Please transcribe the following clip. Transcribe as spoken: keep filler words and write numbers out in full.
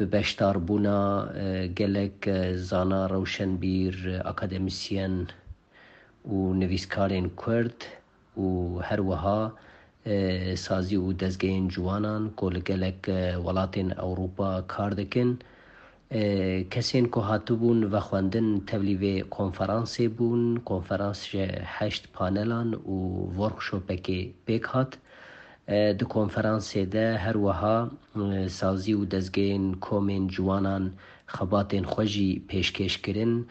bi beşdarbûna, e, gelek, e, zana, rewşenbîr, e, akademîsyen û nivîskarên Kurd û her wiha, e, sazî û dezgehên ciwanan ku li gelek, e, welatên Ewropa kar dikin. E, kesên ku hatibûn vexwendin tevlî vê konferansê bûn. Konferans ji heşt panelan û workshopekê pêk hat. E, di konferansê de her wiha, e, sazî û dezgehên komên ciwanan xebatên xwe jî pêşkêş kirin.